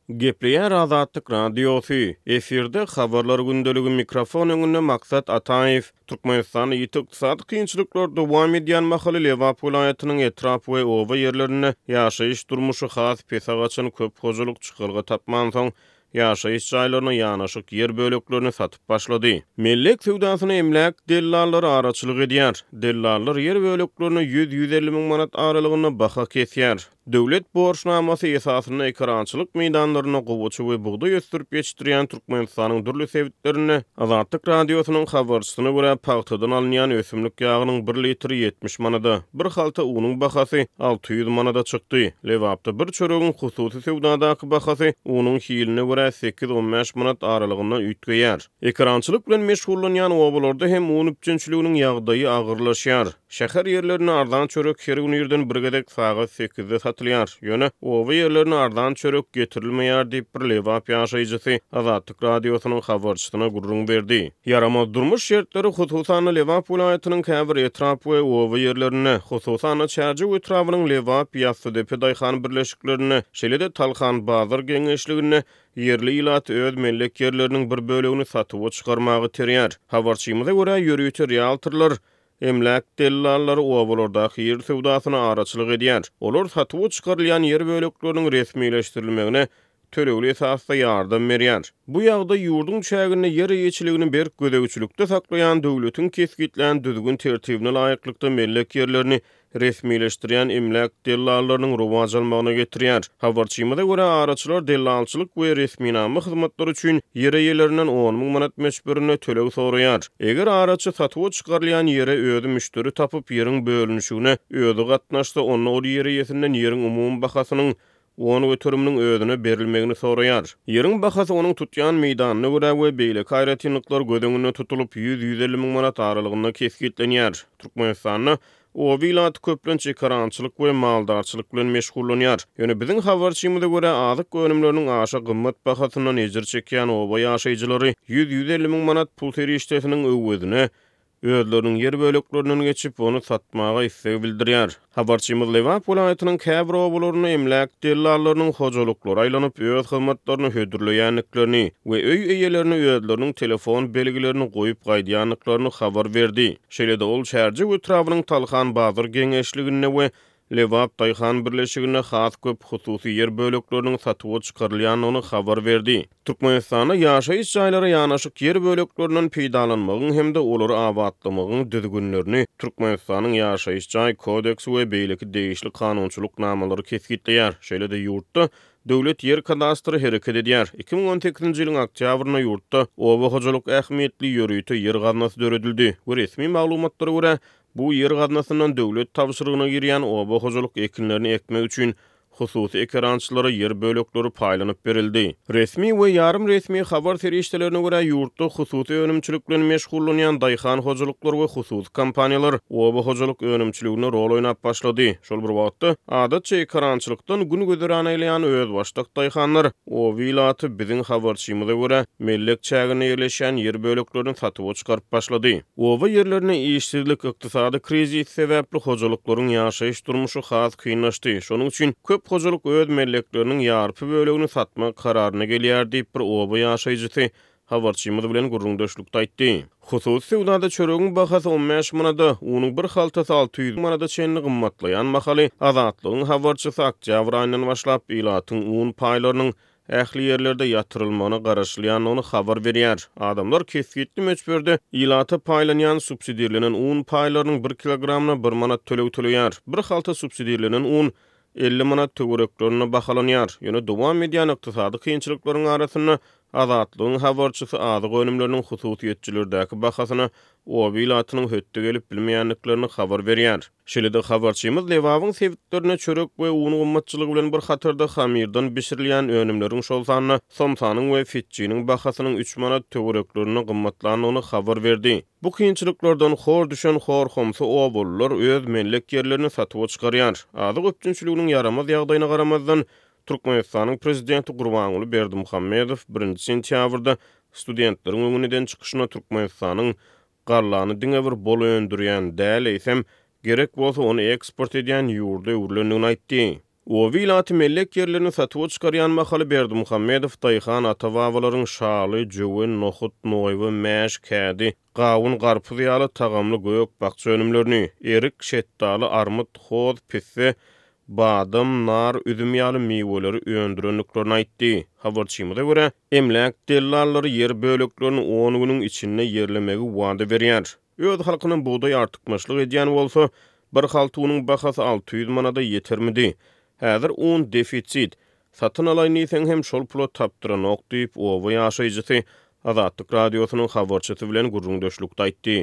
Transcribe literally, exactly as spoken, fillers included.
Gepleýär Azatlyk Radiosy, efirde Habarlar gündeligi, mikrofon öňünde Maksat Ataýew. Türkmenistanda ýiti ykdysady kynçylyklar dowam edýän mahaly Lebap welaýatynyň etrap we oba ýerlerinde ýaşaýyş durmuşy has pese gaçan köp hojalyk çykalga tapmansoň, ýaşaýyş jaýlaryna ýanaşyk ýer böleklerini satyp başlady. Mellek söwdasyna emläk dellallary araçylyk edýär. Dellallar ýer böleklerine ýüz-ýüz elli müň manat aralygynda baha kesýär. Döwlet borçnamasy esasynda ekerançylyk meýdanlarynda gowaça we bugdaý ösdürip ýetişdirýän Türkmenistanyň dürli sebitlerinde Azatlyk Radiosynyň habarçysyna görä, pagtadan alynýan ösümlik ýagynyň bir litri ýetmiş manada, bir halta unuň bahasy alty ýüz manada çykdy. Lebapda bir çöregiň hususy söwdadaky bahasy unuň hiline görä sekiz-on bäş manat aralygynda üýtgeýär. Ekerançylyk bilen meşgullanýan obalarda hem un üpjünçiliginiň ýagdaýy agyrlaşýar. Şäher ýerlerinde arzan çörek her gün irden bir gezek sagat sekizde satylýar. Ýöne oba ýerlerine arzan çörek getirilmeýär diýip bir Lebap ýaşaýjysy Azatlyk Radiosynyň habarçysyna gürrüň berdi. Ýaramaz durmuş şertleri hususan-da Lebap welaýatynyň käbir etrap we oba ýerlerinde, hususan-da Çärjew etrabynyň Lebap, Ýassydepe daýhan birleşiklerinde, şeýle-de Talhan bazar geňeşliginde ýerli ilat öz mellek ýerleriniň bir bölegini satuwa çykarmagy terýär. Habarçymyza görä, ýörite realtorlar, emläk dellallary obalardaky ýer söwdasyna araçylyk edýär. Olar satuwa çykarylýan ýer bölekleriniň resmileşdirilmegine tölegli esasda ýardam berýär. Bu ýagdaý ýurduň çäginde ýer eýeçiligini berk gözegçilikde saklaýan döwletiň kesgitlän düzgün tertibine laýyklykda mellek ýerlerini resmileşdirýän emläk dellallarynyň rowaç almagyna getirýär. Habarçymyza görä, araçylar dellalçylyk we resminama hyzmatlary üçin ýer eýelerinden on müň manat möçberinde töleg soraýar. Eger araçy satuwa çykarylýan ýere özi müşderi tapyp, ýeriň bölünişigine özi gatnaşsa, onda ol ýer eýesinden ýeriň umumy bahasynyň on göteriminiň özüne berilmegini soraýar. Ýeriň bahasy onuň tutýan meýdanyna görä we beýleki aýratynlyklar göz öňünde tutulyp, ýüz-ýüz elli müň manat aralygynda kesgitlenýär. Türkmenistanda oba ilaty köplenç ekerançylyk we maldarçylyk bilen meşgullanýar. Ýöne biziň habarçymyza görä, azyk önümleriniň aşa gymmat bahasyndan ejir çekýän oba ýaşaýjylary ýüz-ýüz elli müň manat pul serişdesiniň öwezine özleriniň ýer böleklerinden geçip, ony satmaga isleg bildirýär. Habarçymyz Lebap welaýatynyň käbir obalarynda emläk dellallarynyň hojalyklary aýlanyp, öz hyzmatlaryny hödürleýändiklerini we öý eýelerini özleriniň telefon belgilerini goýup gaýdýandyklaryny habar berdi. Şeýle-de ol Çärjew etrabynyň Talhan bazar geňeşliginde we Lebap daýhan birleşiginde has köp hususy ýer bölekleriniň satuwa çykarylýandygyny habar berdi. Türkmenistanda ýaşaýyş jaýlara ýanaşyk ýer böleklerinden peýdalanmagyň hem-de olary abatlamagyň düzgünlerini Türkmenistanyň ýaşaýyş jaý kodeksi we beýleki degişli kanunçylyk namalary kesgitleýär. Şeýle-de ýurtda döwlet ýer kadastry hereket edýär. iki müň on sekizinji ýylyň oktýabrynda ýurtda oba hojalyk ähmiýetli ýörite ýer gaznasy döredildi we resmi maglumatlara görä, bu ýer gaznasyndan döwlet tabşyrygyna girýän oba hojalyk ekinlerini ekmek üçin hususy ekerançylara ýer bölekleri paýlanyp berildi. Resmi we ýarym resmi habar serişdelerine görä, ýurtda hususy önümçilik bilen meşgullanýan daýhan hojalyklar we hususy kompaniýalar oba hojalyk önümçiliginde rol oýnap başlady. Şol bir wagtda, adatça ekerançylykdan gün güzeran eýleýän özbaşdak daýhanlar, oba ilaty biziň habarçymyza görä, mellek çäginde ýerleşýän ýer böleklerini satuwa çykaryp başlady. Oba ýerlerinde işsizlik, ykdysady krizis sebäpli hojalyklaryň ýaşaýyş durmuşy has kynlaşdy. Şonuň üçin köp hojalyk öz mellekleriniň ýarpy bölegini satmak kararyna gelýär diýip bir oba ýaşaýjysy habarçymyz bilen gürrüňdeşlikde aýtdy. Hususy söwdada çöregiň bahasy on bäş manada, unuň bir haltasy alty ýüz manada çenli gymmatlaýan mahaly Azatlygyň habarçysy oktýabr aýyndan başlap ilatyň un paýlarynyň ähli ýerlerde ýatyrylmagyna garaşylýandygyny habar berýär. Adamlar kesgitli möçberde ilata paýlanýan subsidirlenen un paýlarynyň bir kilogramyna bir manat töleg töleýär. Bir halta subsidirlenen un elli manat töwereklerinde bahalanýar. Ýöne dowam edýän ykdysady kynçylyklaryň arasynda Azatlygyň habarçysy azyk önümleriniň hususyýetçilerdäki bahasyna oba ilatynyň hötde gelip bilmeýändiklerini habar berýär. Şeýle-de habarçymyz Lebabyň sebitlerine çörek we un gymmatçylygy bilen bir hatarda hamirdan bişirilýän önümleriň şol sanda somsanyň we fitçiniň bahasynyň üç manat töwereklerinde gymmatlandygyny habar berdi. Bu kynçylyklardan hor düşen hor-homsy obalylar öz mellek ýerlerini satuwa çykarýar. Azyk üpjünçiliginiň ýaramaz ýagdaýyna garamazdan Türkmenistanyň prezidenti Gurbanguly Berdimuhamedow birinji sentýabrda studentleriň öňünden çykyşyna Türkmenistanyň gallany diňe bir bol öndürýän däl, eýsem gerek bolsa ony eksport edýän ýurda öwrülendigini aýtdy. Oba ilaty mellek ýerlerini satuwa çykarýan mahaly Berdimuhamedow daýhan ata-babalaryň şaly, jöwen, nohut, noýba, mäş, kädi, gawun, garpyz ýaly tagamly gök-bakja önümlerini, erik, şetdaly, armyt, hoz, pisse, badam, nar, üzüm ýaly miweleri öndürendiklerini aýtdy. Habarçymyza görä, emläk dellallary ýer böleklerini on günüň içinde ýerlemegi wada berýär. Öz halkyna bugdaý artykmaçlyk edýän bolsa, bir halta unuň bahasy alty ýüz manada ýetermidi? Häzir un defisit. Satyn alaýyn diýseň hem şol pula tapdyranok diýip, oba ýaşaýjysy Azatlyk Radiosynyň habarçysy bilen gürrüňdeşlikde aýtdy.